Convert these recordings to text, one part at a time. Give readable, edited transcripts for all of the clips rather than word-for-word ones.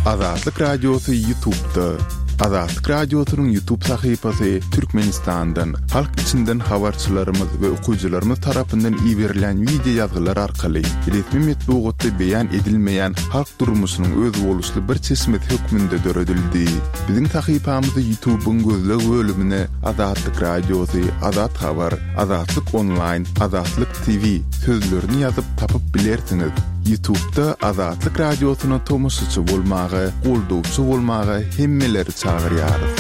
Azatlyk Radiosy Ýutubda. Azatlyk Radiosynyň Ýutub sahypasy Türkmenistandan, halk içinden habarçylarymyz we okyjylarymyz tarapyndan iberilýän wideo ýazgylar arkaly resmi metbugatda beýan edilmeýän halk durmuşynyň özboluşly bir çeşmesi hökmünde döredildi. Biziň sahypamyzy Ýutubyň gözleg bölümine Azatlyk Radiosy, Azat Habar, Azatlyk Onlaýn, Azatlyk TV sözlerini ýazyp tapyp bilersiňiz. Ýutubda Azatlyk Radiosyna tomaşaçy bolmaga, goldawçy bolmaga hemmeleri çagyrýarys.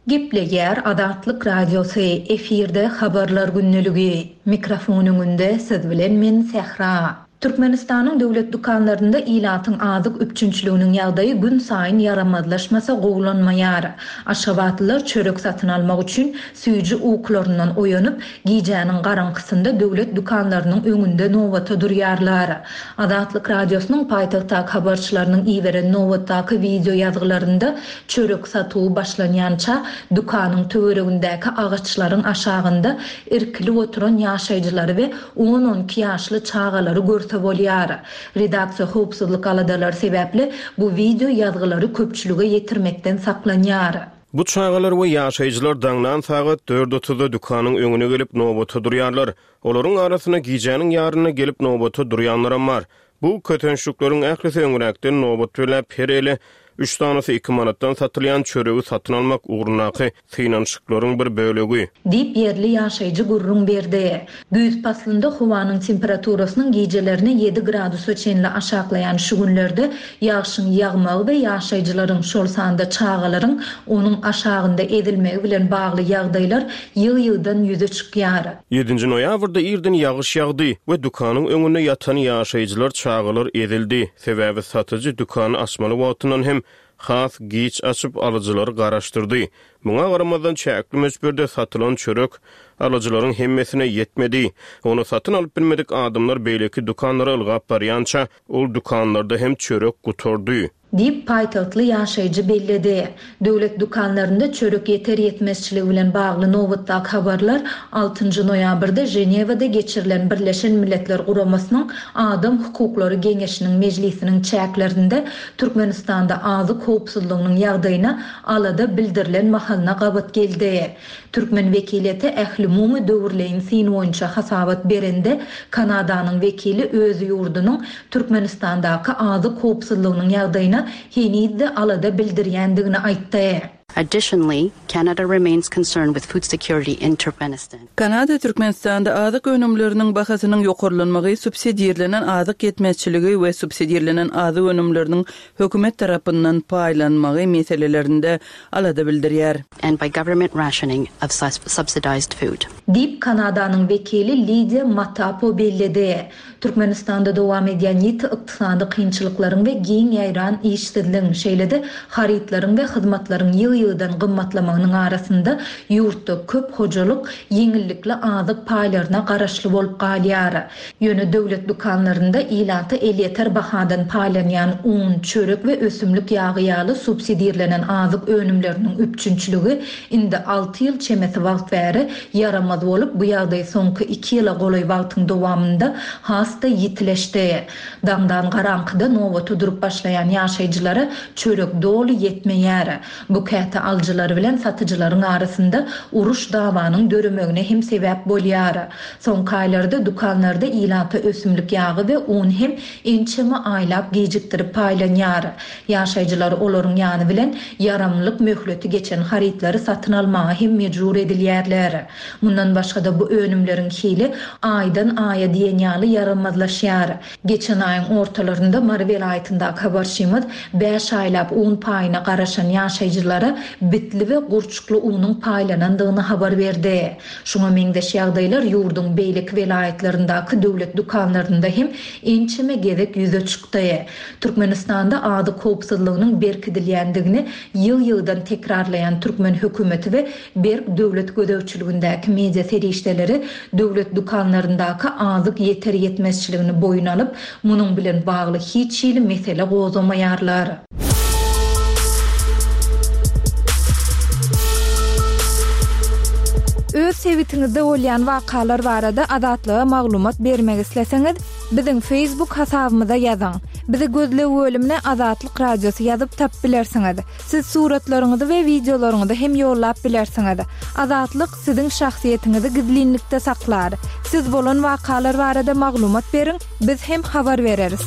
Gepleýär Azatlyk Radiosy, efirde Habarlar gündeligi. Mikrofon öňünde siz bilen men Sähra. Türkmenistanyň döwlet dükanlarynda ilatyň azyk üpjünçiliginiň ýagdaýy günsaýyn ýaramazlaşmasa gowulanmaýar. Aşgabatlylar çörek satyn almak üçin süýji ukularyndan oýanyp, gijäniň garaňkysynda döwlet dükanlarynyň öňünde nobata durýarlar. Azatlyk Radiosynyň paýtagtdaky habarçylarynyň iberen nobatdaky wideo ýazgylarynda çörek satuwy başlanýança dükanyň töweregindäki agaçlaryň aşagynda irkilip oturan ýaşaýjylary we On-on iki ýaşly çagalary görse bolýar. Redaksiýa howpsuzlyk aladalary sebäpli bu wideo ýazgylary köpçülige ýetirmekden saklanýar. Bu çagalar we ýaşaýjylar daňdan sagat dört otuzda dükanyň öňüne gelip nobata durýarlar. Olaryň arasynda gijäniň ýarynda gelip nobata durýanlaram bar. Bu kösençlikleriň ählisi öňräkden nobat belläp, her ele üç sanysy iki manatdan satylýan çöregi satyn almak ugrundaky synanyşyklaryň bir bölegi. Diýip, ýerli ýaşaýjy gürrüň berdi. Güýz paslynda howanyň temperaturasynyň gijelerine ýedi gradusa çenli aşaklaýan şu günlerde ýagşyň ýagmagy we ýaşaýjylaryň, şol sanda çagalaryň onuň aşagynda ezilmegi bilen bagly ýagdaýlar ýygy-ýygydan ýüze çykýar. Ýedinji noýabrda irden ýagyş ýagdy we dükanyň öňünde ýatan ýaşaýjylar, çagalar ezildi. Sebäbi satyjy dükany açmaly wagtyndan hem has giç açyp, alyjylary garaşdyrdy. Muňa garamazdan, çäkli möçberde satylan çörek alyjylaryň hemmesine ýetmedi. Ony satyn alyp bilmedik adamlar beýleki dükanlara ylgap barýança, ol dükanlarda hem çörek gutardy. Diýip, paýtagtly ýaşaýjy belledi. Döwlet dükanlarynda çörek ýeter-ýetmezçiligi bilen bagly nobatdaky habarlar altynjy noýabrda Ženewada geçirilen Birleşen Milletler Guramasynyň Adam hukuklary geňeşiniň mejlisiniň çäklerinde Türkmenistanda azyk howpsuzlygynyň ýagdaýyna alada bildirilen mahalyna gabat geldi. Türkmen wekiliýeti ählumumy döwürleýin syn boýunça hasabat berende, Kanadanyň wekili öz ýurdunyň Türkmenistandaky azyk howpsuzlygynyň ýagdaýyna heniz-de alada bildirýändigini aýtdy. Additionally, Canada remains concerned with food security in Turkmenistan. Kanada Türkmenistanda azyk önümleriniň bahasynyň ýokarlanmagy, subsidirlenen azyk ýetmezçiligi we subsidirlenen azyk önümleriniň hökümet tarapyndan paýlanmagy meselelerinde alada bildirýär. and by government rationing of subsidized food. Diýip, Kanadanyň wekili Lidiýa Matapo belledi. Türkmenistanda dowam edýän ýiti ykdysady kynçylyklaryň we giň ýaýran işsizligiň, şeýle-de harytlaryň we hyzmatlaryň ýygy-ýygydan gymmatlamagynyň arasynda ýurtda köp hojalyk ýeňillikli azyk paýlaryna garaşly bolup galýar. Ýöne döwlet dükanlarynda ilata elýeter bahadan paýlanýan un, çörek we ösümlik ýagy ýaly subsidirlenen azyk önümleriniň üpjünçiligi indi alty ýyl çemesi wagt bäri ýaramaz bolup, bu ýagdaý soňky iki ýyla golaý wagtyň dowamynda has-da ýitileşdi. Daňdan garaňkyda nobata durup başlaýan ýaşaýjylara çörek doly ýetmeýär. Bu käte alyjylar bilen satyjylaryň arasynda uruş-dawanyň döremegine hem sebäp bolýar. Soňky aýlarda dükanlarda ilata ösümlik ýagy we un hem ençeme aýlap gijikdirip paýlanýar. Ýaşaýjylar olaryň ýany bilen ýaramlylyk möhleti geçen harytlary satyn almaga hem mejbur edilýärler. Mundan başga-da bu önümleriň hili aýdan-aýa diýen ýaly ýaramazlaşýar. Geçen aýyň ortalarynda Mary welaýatyndaky habarçymyz bäş aýlap un paýyna garaşan ýaşaýjylara bitli we gurçukly unuň paýlanandygyny habar berdi. Şuňa meňzeş ýagdaýlar ýurduň beýleki welaýatlaryndaky döwlet dükanlarynda hem ençeme gezek ýüze çykdy. Türkmenistanda azyk howpsuzlygynyň berkidilýändigini ýygy-ýygydan tekrarlaýan türkmen hökümeti we berk döwlet gözegçiligindäki media serişdeleri döwlet dükanlaryndaky azyk ýeter-ýetmezçiligini boýun alyp, munuň bilen bagly hiç hili mesele gozgamaýarlar. Öz sebitiňizde bolýan wakalar barada Azatlyga maglumat bermek isleseňiz, biziň Facebook hasabymyza ýazyň. Bizi gözleg bölümine Azatlyk Radiosy ýazyp tapyp bilersiňiz. Siz suratlaryňyzy we wideolaryňyzy hem ýollap bilersiňiz. Azatlyk siziň şahsyýetiňizi gizlinlikde saklar. Siz bolan wakalar barada maglumat beriň, biz hem habar bereris.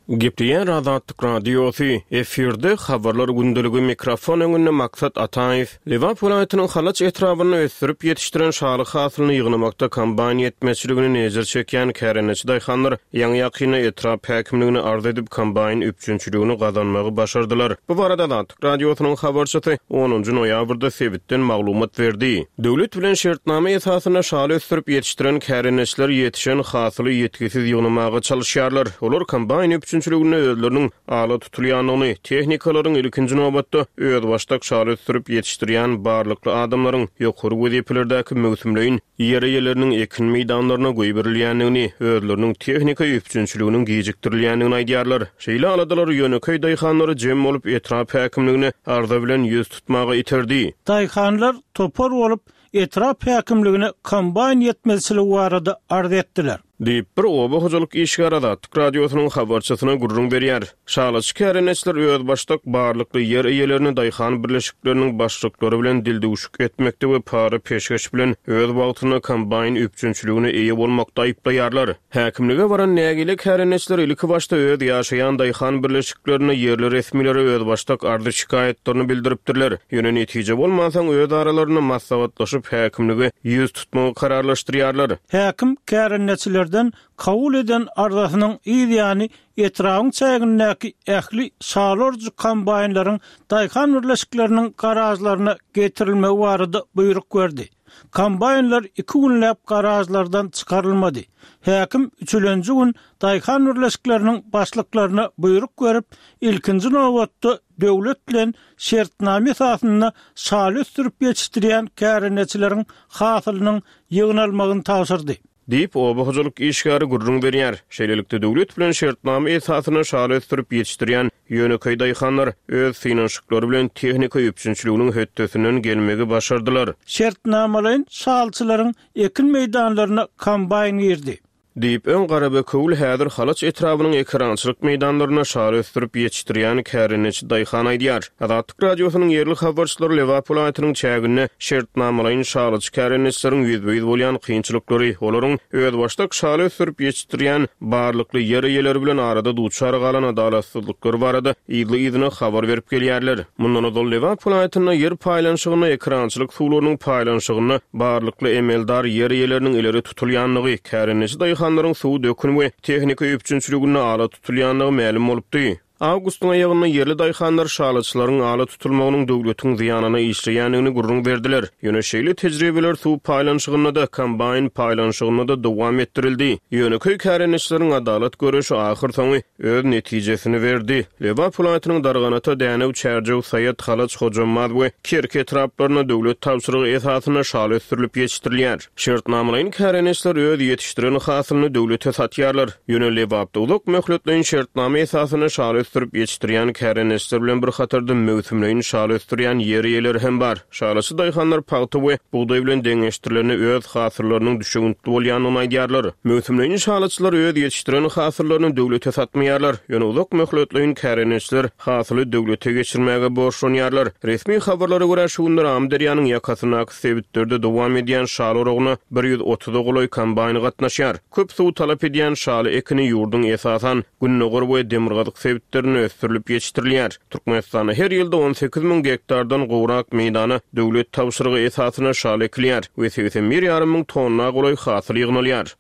Gepleýär Azatlyk Radiosy, efirde Habarlar gündeligi mikrofon öňünde Maksat Ataýew. Lebap welaýatynyň Halaç etrabynda ösdürip ýetişdiren şaly hasylyny ýygnamakda kombaýn ýetmezçiligini ejir çekýän kärendeçi daýhanlar ýaňy-ýakynda etrap häkimligine arz edip, kombaýn üpjünçiligini gazanmagy başardylar. Bu barada Azatlyk Radiosynyň habarçysy onunjy noýabrda sebitden maglumat berdi. Döwlet bilen şertnama esasynda şaly ösdürip ýetişdiren kärendeçiler ýetişen hasyly ýitgisiz ýygnamaga çalyşýarlar. Olar kombaýn üpjünçiliginde özleriniň ala tutulýandygyny, tehnikalaryň ilkinji nobatda özbaşdak şaly ösdürip ýetişdirýän barlykly adamlaryň ýokary wezipelerdäki möwsümleýin ýer eýeleriniň ekin meýdanlaryna goýberilýändigini, özleriniň tehnika üpjünçiliginiň gijikdirilýändigini aýdýarlar. Şeýle aladalar ýönekeý daýhanlary jem bolup etrap häkimligine arza bilen ýüz tutmaga iterdi. Daýhanlar topar bolup etrap häkimligine kombaýn ýetmezçiligi barada arz etdiler. Diýip, bir oba hojalyk işgäri Azatlyk Radiosynyň habarçysyna gürrüň berýär. Şalaçy kärendeçiler özbaşdak barlykly ýer eýelerini daýhan birleşikleriniň başlyklary bilen dildüwşük etmekde we para-peşgeş bilen öz wagtynda kombaýn üpjünçiligine eýe bolmakda aýyplaýarlar. Häkimlige baran nägile kärendeçiler ilkibaşda öz ýaşaýan daýhan birleşiklerinde ýerli resmilere özbaşdak arzy-şikaýatlaryny bildiripdirler. Ýöne netije bolmansoň, öz aralarynda maslahatlaşyp, häkimlige ýüz tutmagy kararlaşdyrýarlar. Häkim kärendeçilerden kabul eden arzasynyň yz ýany etrabyň çägindäki ähli şaly orujy kombaýnlaryň daýhan birleşikleriniň garažlaryna getirilmegi barada buýruk berdi. Kombaýnlar iki günläp garažlardan çykarylmady. Häkim üçülenji gün daýhan birleşikleriniň başlyklaryna buýruk berip, ilkinji nobatda döwlet bilen şertnama esasynda şaly ösdürip ýetişdirýän kärendeçileriň hasylynyň ýygnalmagyny tabşyrdy. Diýip, oba hojalyk işgäri gürrüň berýär. Şeýlelikde, döwlet bilen şertnama esasynda şaly ösdürip ýetişdirýän ýönekeý daýhanlar öz synanyşyklary bilen tehnika üpjünçiliginiň hötdesinden gelmegi başardylar. Şertnamalaýyn şalyçylaryň ekin meýdanlaryna kombaýn girdi. Diýip, öň Garabekewül, häzir Halaç etrabynyň ekerançylyk meýdanlarynda şaly ösdürip ýetişdirýän kärendeçi daýhan aýdýar. Azatlyk Radiosynyň ýerli habarçylary Lebap welaýatynyň çäginde şertnamalaýyn şalyçy kärendeçileriň ýüzbe-ýüz bolýan kynçylyklary, olaryň özbaşdak şaly ösdürip ýetişdirýän barlykly ýer eýeleri bilen arada duçar galan adalatsyzlyklary barada yzly-yzyna habar berip gelýärler. Mundan ozal Lebap welaýatynda ýer paýlanyşygynda ekerançylyk suwlarynyň paýlanyşygynda barlykly emeldar ýer eýeleriniň ileri tutulýandygy, kärendeçi daýhanlaryň suw dökün we tehnika üpjünçiliginde ala tutulýandygy mälim bolupdy. Awgustyň aýagynda ýerli daýhanlar şalyçylaryň ala tutulmagynyň döwletiň zyýanyna işleýändigini gürrüň berdiler. Ýöne şeýle tejribeler suw paýlanyşygynda-da, kombaýn paýlanyşygynda-da dowam etdirildi. Ýönekeý kärendeçileriň adalat göreşi ahyrsoňy öz netijesini berdi. Lebap welaýatynyň Darganata, Dänew, Çärjew, Saýat, Halaç, Hojambaz we Kerki etraplarynda döwlet tabşyrygy esasynda şaly ösdürilip ýetişdirilýär. Şertnamalaýyn kärendeçiler öz ýetişdiren hasylyny döwlete satýarlar. Ýöne Lebapda uzak möhletleýin şertnama esasynda şaly ösdürip ýetişdirýän kärendeçiler bilen bir hatarda möwsümleýin şaly ösdürýän ýer eýeleri hem bar. Şalyçy daýhanlar pagta we bugdaý bilen deňeşdirilende öz hasyllarynyň düşewüntli bolýandygyny aýdýarlar. Möwsümleýin şalyçylar öz ýetişdiren hasyllaryny döwlete satmaýarlar. Ýöne uzak möhletleýin kärendeçiler hasyly döwlete geçirmäge borçlanýarlar. Resmi habarlara görä, şu günler Amyderýanyň ýakasyndaky sebitlerde dowam edýän şaly oragyna bir ýüz otuza golaý kombaýn gatnaşýar. Köp suw talap edýän şaly ekini ýurduň esasan, gündogar we demirgazyk sebitlerinde ösdürilip ýetişdirilýär. Türkmenistanda her ýylda 18 müň gektardan gowrak meýdana döwlet tabşyrygy esasynda şaly ekilýär we 81 ýarym müň tonna golaý hasyl ýygnalýar.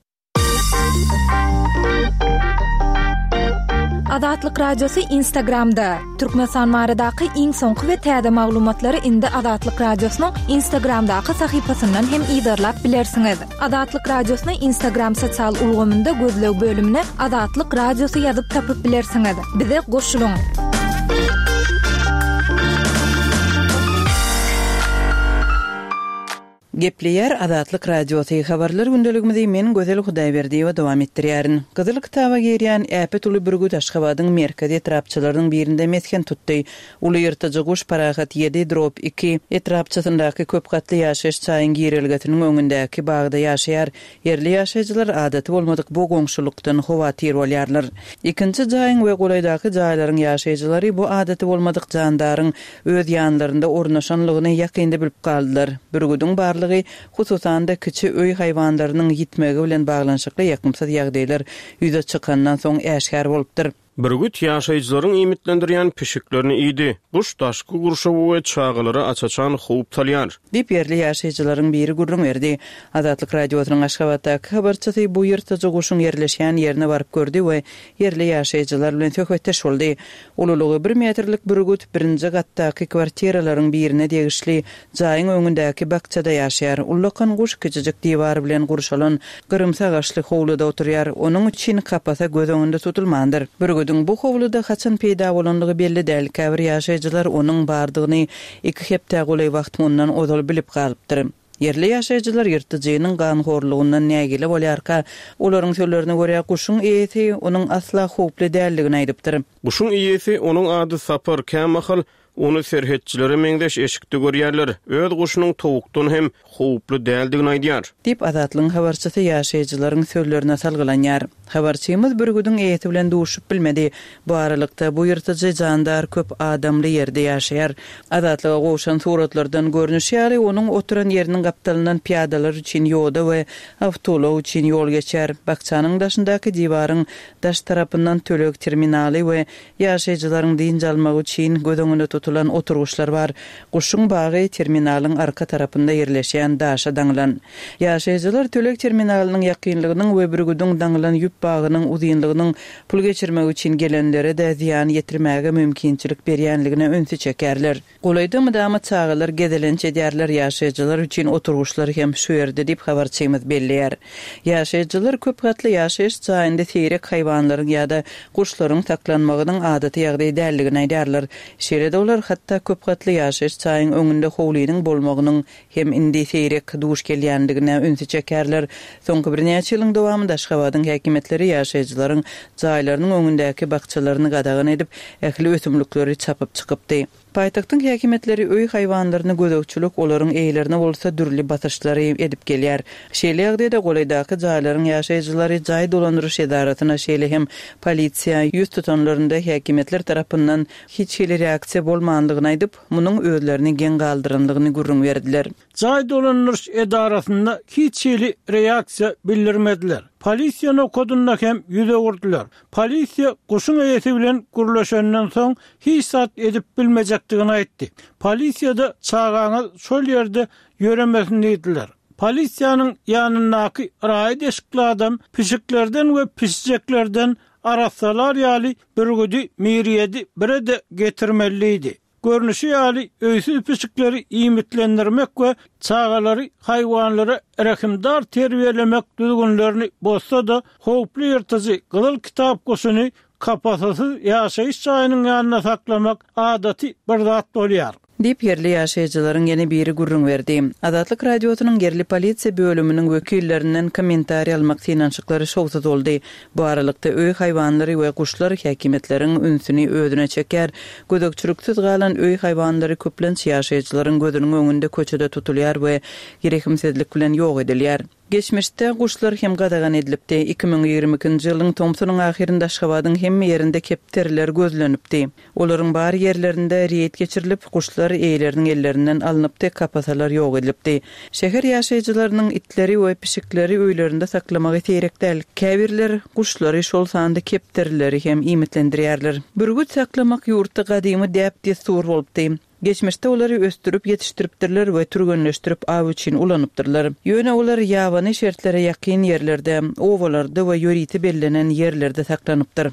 Azatlyk Radiosy Instagramda, Türkmenistan baradaky iň soňky we täze maglumatlary indi Azatlyk Radiosynyň Instagramdaky sahypasyndan hem yzarlap bilersiňiz. Azatlyk Radiosyny Instagram sosial ulgamynda gözleg bölümine Azatlyk Radiosy ýazyp tapyp bilersiňiz. Bize goşulyň! Gepleýär Azatlyk Radiosy, Habarlar gündeligimizi men Gözel Hudaýberdiýewa dowam etdirýärin. Gyzyl kitaba girýän äpet uly bürgüt Aşgabadyň merkezi etrapçalarynyň birinde mesgen tutdy. Uly ýyrtyjy guş Parahat ýedi drop iki etrapçasyndaky köp gatly ýaşaýyş jaýyň girelgesiniň öňündäki bagda ýaşaýar. Ýerli ýaşaýjylar adaty bolmadyk bu goňşulykdan howatyr bolýarlar. Ikinji jaýyň we golaýdaky jaýlaryň ýaşaýjylary bu adaty bolmadyk jandaryň öz ýanlarynda ornaşanlygyny ýakynda bilip galdylar. Bürgüdiň barlygy, hususan-da, kiçi öý haýwanlarynyň ýitmegi bilen baglanyşykly ýakymsyz ýagdaýlar ýüze çykandan soň äşgär bolupdyr. Bürgüt ýaşaýjylaryň iýmitlendirýän pişiklerini iýdi. Guş daşky gurşawa we çagalara aç-açan howp salýar. Diýip, ýerli ýaşaýjylaryň biri gürrüň berdi. Azatlyk Radiosynyň Aşgabatdaky habarçysy bu ýyrtyjy guşuň ýerleşýän ýerine baryp gördi we ýerli ýaşaýjylar bilen söhbetdeş boldy. Ululygy bir metrlik bürgüt birinji gatdaky kwartiralaryň birine degişli jaýyň öňündäki bakjada ýaşaýar. Ullakan guş kiçijik diwar bilen gurşalan gyrymsy agaçly howluda oturýar. Onuň üçin kapasa göz öňünde tutulmandyr. Bürgüdiň bu howluda haçan peýda bolandygy belli däl. Käbir ýaşaýjylar onuň bardygyny iki hepdä golaý wagt mundan ozal bilip galypdyr. Ýerli ýaşaýjylar ýyrtyjynyň ganhorlugyndan nägile bolýarka, olaryň sözlerine görä, guşuň eýesi onuň asla howply däldigini aýdypdyr. Guşuň eýesi, onuň ady Sapar, kämahal ony serhetçilere meňzeş eşikde görýärler, öz guşunyň towukdan hem howply däldigini aýdýar. Diýip, Azatlygyň habarçysy ýaşaýjylaryň sözlerine salgylanýar. Habarçymyz bürgüdiň eýesi bilen duşup bilmedi. Bu aralykda, bu ýyrtyjy jandar köp adamly ýerde ýaşaýar. Azatlyga gowşan suratlardan görnüşi ýaly, onuň oturan ýeriniň gapdalyndan pyýadalar üçin ýoda we awtoulag üçin ýol geçýär. Bakjanyň daşyndaky diwaryň daş tarapyndan töleg terminaly we Ýaşaýjylaryň dynç almagy üçin göz öňünde tutulan oturgyçlar bar. Guşuň bagy terminalyň arka tarapynda ýerleşýän daşa daňylan. Ýaşaýjylar töleg terminalynyň ýakynlygynyň we bürgüdiň daňylan ýüp bagynyň uzynlygynyň pul geçirmek üçin gelenlere-de zyýan ýetirmäge mümkinçilik berýänligine ünsi çekýärler. Golaýda mydama çagalar gezelenç edýärler, ýaşaýjylar üçin oturgyçlar hem şu ýerde diýip, habarçymyz belleýär. Ýaşaýjylar köp gatly ýaşaýyş jaýynda seýrek haýwanlaryň ýa-da guşlaryň saklanmagynyň adaty ýagdaý däldigini aýdýarlar. Şeýle-de olar hatda köp gatly ýaşaýyş jaýyň öňünde howlynyň bolmagynyň hem indi seýrek duş gelýändigine ünsi çekýärler. Soňky birnäçe ýylyň dowamynda Aşgabadyň häkimiýetleri ýaşaýjylaryň jaýlarynyň öňündäki bakjalaryny gadagan edip, ähli ösümlikleri çapyp çykypdy. Paýtagtyň häkimiýetleri öý haýwanlaryna gözegçilik, olaryň eýelerine bolsa dürli basyşlary edip gelýär. Şeýle ýagdaýda golaýdaky jaýlaryň ýaşaýjylary jaý dolandyryş edarasyna, şeýle hem polisiýa ýüz tutanlarynda häkimiýetler tarapyndan hiç hili reaksiýa bolmandygyny aýdyp, munuň özlerini geň galdyrandygyny gürrüň berdiler. Jaý dolandyryş edarasynda hiç hili reaksiýa bildirmediler. Polisiýa nokadynda hem ýüz öwürdiler. Polisiýa guşuň eýesi bilen gürleşenden soň hiç zat edip bilmejekdigini aýtdy. Polisiýada çagaňyz şol ýerde ýöremesin diýdiler. Polisiýanyň ýanyndaky raýat eşikli adam pişiklerden we pişijeklerden arassalar ýaly bürgüdi Mirýedi bire-de getirmeli diýdi. Görnüşi ýaly, öýsüz pişikleri iýmitlendirmek we çagalary haýwanlara rehimdar terbiýelemek düzgünlerini bozsa-da, howply ýyrtyjy Gyzyl kitap guşuny kapasasyz ýaşaýyş jaýynyň ýanynda saklamak adaty bir zat bolýar. Diýip, ýerli ýaşaýjylaryň ýene biri gürrüň berdi. Azatlyk Radiosynyň ýerli polisiýa bölüminiň wekillerinden kommentariý almak synanyşyklary şowsuz boldy. Bu aralykda, öý haýwanlary we guşlar häkimiýetleriň ünsüni özüne çekýär. Gözegçiliksiz galan öý haýwanlary köplenç ýaşaýjylaryň gözüniň öňünde köçede tutulýar we rehimsizlik bilen ýok edilýär. Geçmişde guşlar hem gadagan edilipdi. 2022-nji ýylyň tomsunyň ahyrynda Aşgabadyň hemme ýerinde kepderiler gözlenipdi. Olaryň bar ýerlerinde reýd geçirilip, guşlar eýeleriniň ellerinden alnypdy, kapasalar ýok edilipdi. Şäher ýaşaýjylarynyň itleri we pişikleri öýlerinde saklamagy seýrek däl. Käbirler guşlary, şol sanda kepderileri hem iýmitlendirýärler. Bürgüt saklamak ýurtda gadymy däp-dessur bolupdy. Geçmişde olary ösdürip ýetişdiripdirler we türgenleşdirip aw üçin ulanypdyrlar. Ýöne olar ýabany şertlere ýakyn ýerlerde, obalarda we ýörite bellenen ýerlerde saklanypdyr.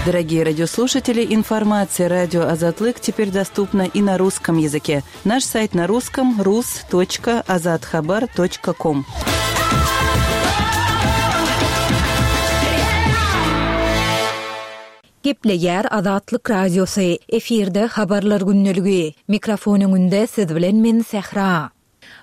Дорогие радиослушатели, информация радио Азатлык теперь доступна и на русском языке. Наш сайт на русском rus.azathabar.com. Gepleýär Azatlyk Radiosy, efirde Habarlar gündeligi. Mikrofon öňünde siz bilen men Sähra.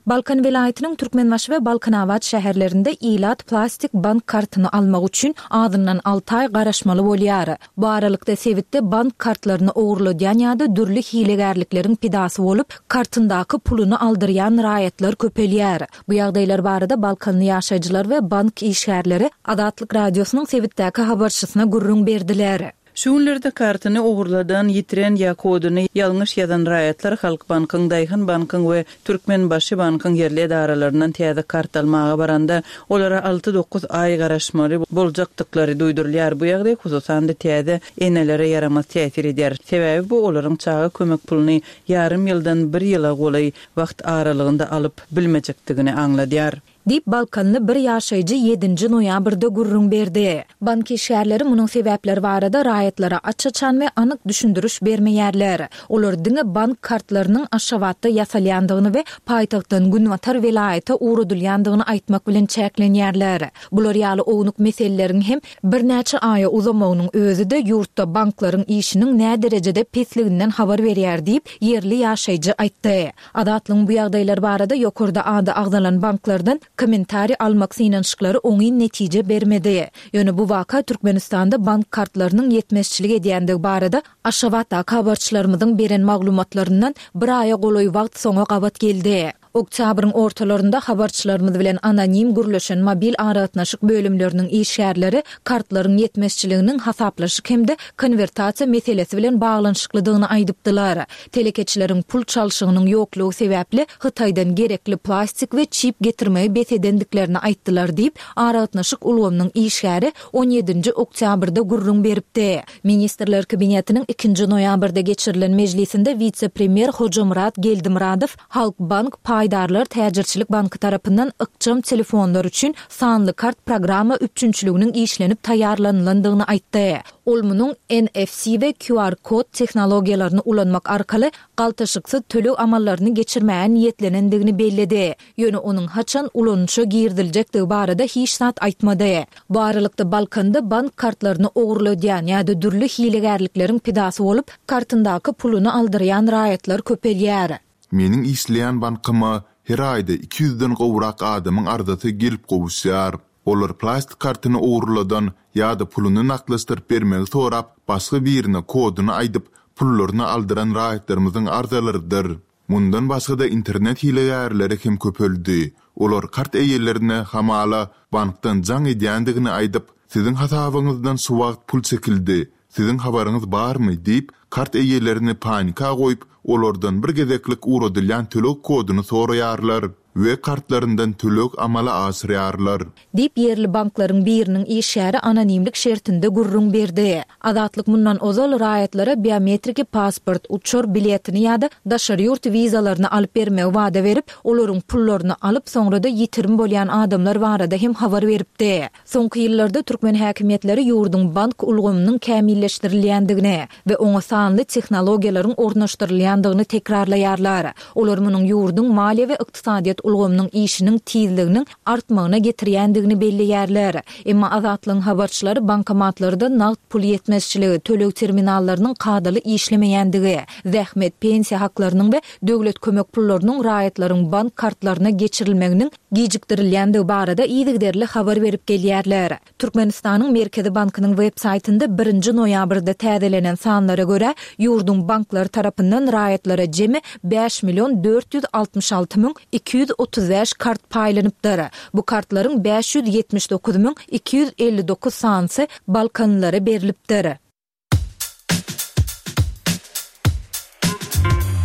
Balkan welaýatynyň Türkmenbaşy we Balkanabat şäherlerinde ilat plastik bank kartyny almak üçin azyndan alty aý garaşmaly bolýar. Bu aralykda sebitde bank kartlaryny ogurladýan ýa-da dürli hilegärlikleriň pidasy bolup, kartyndaky puluny aldyrýan raýatlar köpelýär. Bu ýagdaýlar barada balkanly ýaşaýjylar we bank işgärleri Azatlyk Radiosynyň sebitdäki habarçysyna gürrüň berdiler. Şu günlerde kartyny ogurladan, ýitiren ýa koduny ýalňyş ýazan raýatlar Halkbankyň, Daýhan bankyň we Türkmenbaşy bankyň ýerli edaralaryndan täze kart almaga baranda, olara alty-dokuz aý garaşmaly boljakdyklary duýdurylýar. Bu ýagdaý, hususan-da, täze enelere ýaramaz täsir edýär. Sebäbi bu olaryň çaga kömek puluny ýarym ýyldan bir ýyla golaý wagt aralygynda alyp bilmejekdigini aňladýar. Diýip, balkanly bir ýaşaýjy ýedinji noýabrda gürrüň berdi. Bank işgärleri munuň sebäpleri barada raýatlara aç-açan we anyk düşündiriş bermeýärler. Olar diňe bank kartlarynyň Aşgabatda ýasalýandygyny we paýtagtdan günbatar welaýata ugradylýandygyny aýtmak bilen çäklenýärler. Bular ýaly ownuk meseleleriň hem birnäçe aýa uzamagynyň özi-de ýurtda banklaryň işiniň näderejede pesliginden habar berýär diýip, ýerli ýaşaýjy aýtdy. Azatlygyň bu ýagdaýlar barada ýokarda ady agzalan banklardan kommentariý almak synanyşyklary oňyn netije bermedi. Ýöne bu waka Türkmenistanda bank kartlarynyň ýetmezçilik edýändigi barada Aşgabatdaky habarçylarymyzyň beren maglumatlaryndan bir aýa golaý wagt soňa gabat geldi. Oktýabryň ortalarynda habarçylarymyz bilen anonim gürleşen mobil aragatnaşyk bölümleriniň işgärleri kartlaryň ýetmezçiliginiň hasaplaşyk hem-de konwertasiýa meselesi bilen baglanyşyklydygyny aýdypdylar. Telekeçileriň pul çalşygynyň ýoklugy sebäpli Hytaýdan gerekli plastik we çip getirmegi bes edendiklerini aýtdylar diýip, aragatnaşyk ulgamynyň işgäri on ýedinji oktýabrda gürrüň beripdi. Ministrler Kabinetiniň ikinji noýabrda geçirilen mejlisinde wise-premýer Hojamyrat Geldimyradow Halkbank paýdarlar täjirçilik banky tarapyndan ykjam telefonlar üçin sanly kart programma üpjünçiliginiň işlenip taýýarlanylandygyny aýtdy. Ol munuň NFC we QR kod tehnologiýalaryny ulanmak arkaly galtaşyksyz töleg amallaryny geçirmäge niýetlenendigini belledi. Ýöne onuň haçan ulanyşa giriziljekdigi barada hiç zat aýtmady. Bu aralykda Balkanda bank kartlaryny ogurladýan ýa-da dürli hilegärlikleriň pidasy bolup, kartyndaky puluny aldyrýan raýatlar köpelýär. Meniň işleýän bankyma her aýda iki ýüzden gowrak adamyň arzasy gelip gowuşýar. Olar plastik kartyny ogurladan ýa-da puluny nagtlaşdyryp bermegi sorap, başga birine koduny aýdyp, pullaryny aldyran raýatlarymyzyň arzalarydyr. Mundan başga-da internet hilegärleri hem köpeldi. Olar kart eýelerine, hamala, bankdan jaň edýändigini aýdyp, Siziň hasabyňyzdan şu wagt pul çekildi, siziň habaryňyz barmy diýip, kart eýelerini panika goýup, olardan bir gezeklik ugradylýan töleg koduny soraýarlar we kartlaryndan töleg amala aşyrýarlar. Diýip, ýerli banklaryň biriniň işgäri anonimlik şertinde gürrüň berdi. Azatlyk mundan ozal raýatlara biometriki pasport, uçar biletini ýa-da daşary ýurt wizalaryny alyp bermegi wada berip, olaryň pullaryny alyp, soňra-da ýitirim bolýan adamlar barada hem habar beripdi. Soňky ýyllarda türkmen häkimiýetleri ýurduň bank ulgamynyň kämilleşdirilýändigini we oňa sanly tehnologiýalaryň ornaşdyrylýandygyny tekrarlaýarlar. Olar munuň ýurduň maliýe we ykdysadyýet ulgamynyň işiniň tizliginiň artmagyna getirýändigini belleýärler. Emma Azatlygyň habarçylary bankomatlarda nagt pul ýetmezçiligi, töleg terminallarynyň kadaly işlemeýändigi, zähmet, pensiýa haklarynyň we döwlet kömek pullarynyň raýatlaryň bank kartlaryna geçirilmeginiň gijikdirilýändigi barada yzygiderli habar berip gelýärler. Türkmenistanyň Merkezi bankynyň web saýtynda birinji noýabrda täzelenen sanlara görä, ýurduň banklary tarapyndan raýatlara jemi bäş million 466 235 kart paýlanypdyr. Bu kartlaryň 579 259 sanysy balkanlylara berlipdir.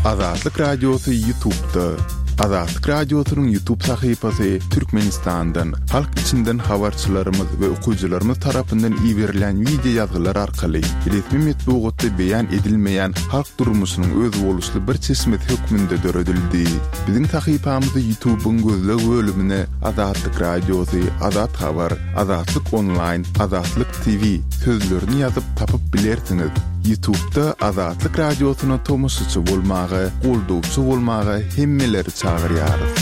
Azatlyk Radiosy YouTube'da. Azatlyk Radiosynyň YouTube sahypasy Türkmenistandan, halk içinden habarçylarymyz we okyjylarymyz tarapyndan iberilýän wideo ýazgylar arkaly resmi metbugatda beýan edilmeýän halk durmuşynyň özboluşly bir çeşmesi hökmünde döredildi. Biziň sahypamyzy YouTube'yň gözleg bölümine Azatlyk Radiosy, Azat Habar, Azatlyk Onlaýn, Azatlyk TV sözlerini ýazyp tapyp bilersiňiz. Ýutubda Azatlyk Radiosyna tomaşaçy bolmaga, goldawçy bolmaga hemmeleri çagyrýarys.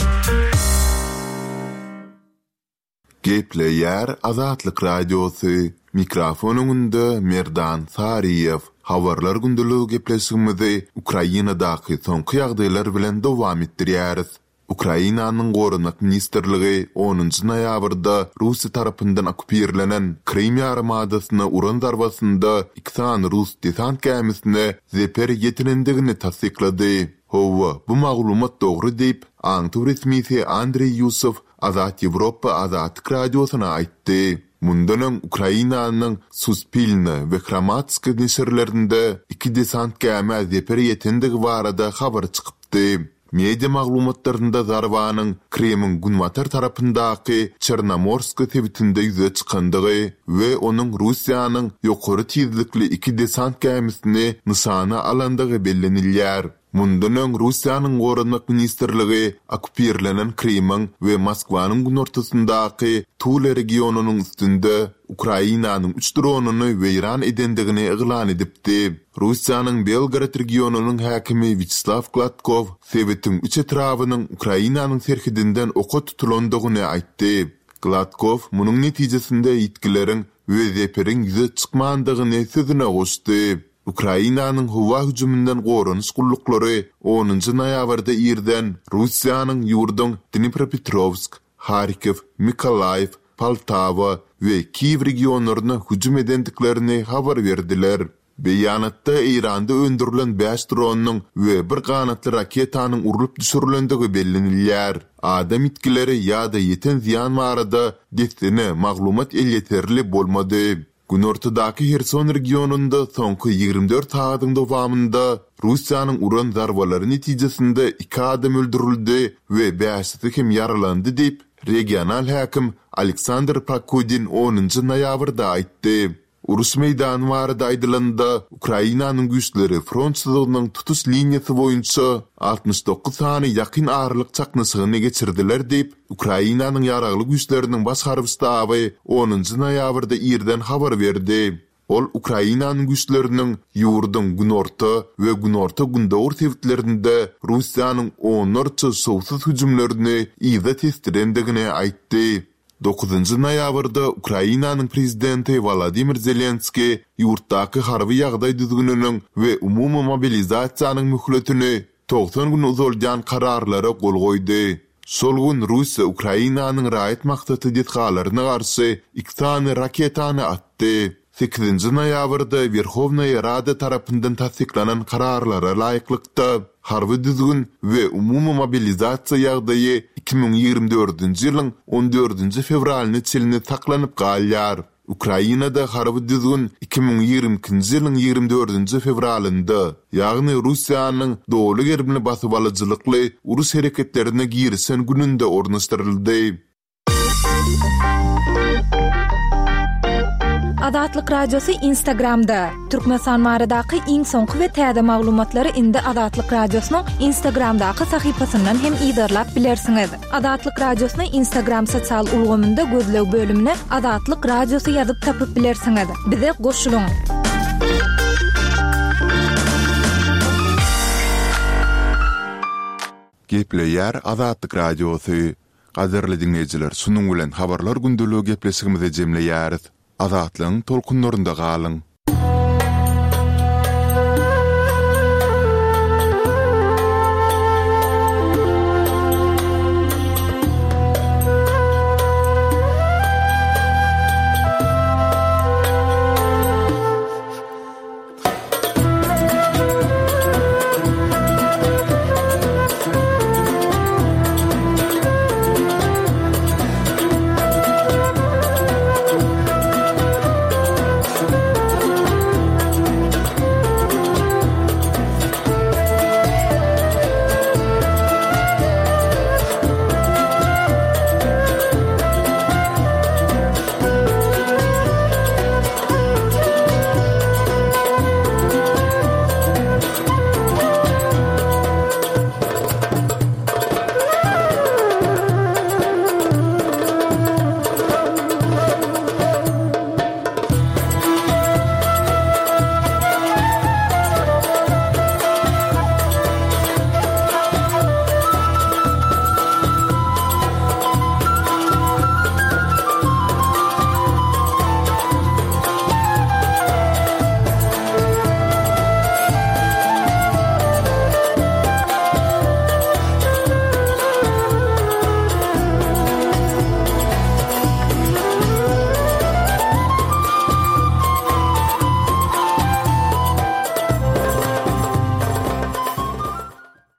Gepleýär Azatlyk Radiosy. Mikrofon öňünde Merdan Saryýew. Habarlar gündeligi gepleşigimizi Ukrainadaky soňky ýagdaýlar bilen dowam etdirýäris. Ukrainanyň Goranmak ministrligi onunjy noýabrda Russiýa tarapyndan okkupirlenen Krym ýarymadasyna uran zarbasynda iki sany rus desant gämisine zeper ýetirendigini tassyklady. Hawa, bu maglumat dogry diýip, aňtaw resmisi Andreý Ýusow Azat Ýewropa Azatlyk Radiosyna aýtdy. Mundan öň Ukrainanyň Suspilne we Hromadske neşirlerinde iki desant gämä zeper ýetendigi barada habar çykypdy. Media maglumatlarynda zarbanyň Krymyň günbatar tarapyndaky Çernomorsk sebitinde ýüze çykandygy we onuň Russiýanyň ýokary tizlikli iki desant gämisini nyşana alandygy bellenilýär. Mundan öň Russiýanyň Goranmak ministrligi okkupirlenen Krymyň we Moskwanyň günortasyndaky Tula regionynyň üstünde Ukrainanyň üç dronyny weýran edendigini yglan edipdi. Russiýanyň Belgorod regionynyň häkimi Wýaçeslaw Gladkow sebitiň üç etrabynyň Ukrainanyň serhedinden oka tutulandygyny aýtdy. Gladkow munuň netijesinde ýitgileriň we zeperiň ýüze çykmandygyny sözüne goşdy. Ukrainanyň howa hüjüminden goranyş gulluklary onunjy noýabrda irden Russiýanyň ýurduň Dnipropetrowsk, Harkow, Mykolaýiw, Poltawa we Kiýew regionlaryna hüjüm edendiklerini habar berdiler. Beýanatda Eýranda öndürilen bäş dronyň we bir ganatly raketanyň urlup düşürilendigi bellenilýär. Adam ýitgileri ýa-da ýeten zyýan barada dessine maglumat elýeterli bolmady. Günortadaky Herson regionynda soňky 24 sagadyň dowamynda Russiýanyň uran zarbalary netijesinde iki adam öldürildi we bäşisi hem ýaralandy diýip, regional häkim Aleksandr Prokudin onunjy noýabrda aýtdy. Uruş meýdany barada aýdylanda, Ukrainanyň güýçleri front çyzygynyň tutuş liniýasy boýunça 69 sany ýakyn aralyk çaknyşygyny geçirdiler diýip, Ukrainanyň Ýaragly Güýçleriniň Baş harby ştaby onunjy noýabrda irden habar berdi. Ol Ukrainanyň güýçleriniň ýurduň günorta we günorta-gündogar sebitlerinde Russiýanyň onlarça şowsuz hüjümlerini yza tesdirendigini aýtdy. Dokuzynjy noýabrda Ukrainanyň prezidenti Wolodymyr Zelenskiý ýurtdaky harby ýagdaý düzgüniniň we umumy mobilizasiýanyň möhletini 90 gün uzaldýan kararlara gol goýdy. Şol gün Russiýa Ukrainanyň raýat maksatly desgalaryna garşy iki sany raketany atdy. Sekizinji noýabrda Werhownaýa Rada tarapyndan tassyklanan kararlara laýyklykda, harby düzgün we umumy mobilizasiýa ýagdaýy 2024-nji ýylyň on dördünji fewralyna çenli saklanyp galýar. Ukrainada harby düzgün 2022-nji ýylyň 24-nji fewralynda, ýagny Russiýanyň doly gerimli basybalyjylykly uruş hereketlerine girişen gününde ornaşdyryldy. Azatlyk Radiosy Instagramda, Türkmenistan baradaky iň soňky we täze maglumatlary indi Azatlyk Radiosynyň Instagramdaky sahypasyndan hem yzarlap bilersiňiz. Azatlyk Radiosyny Instagram sosial ulgamynda gözleg bölümine Azatlyk Radiosy ýazyp tapyp bilersiňiz. Bize goşulyň! Gepleýär Azatlyk Radiosy. Gadyrly diňleýjiler şunuň bilen Habarlar gündeligi gepleşigimizi jemleýäris. Azatlygyň tolkunlarynda galyň!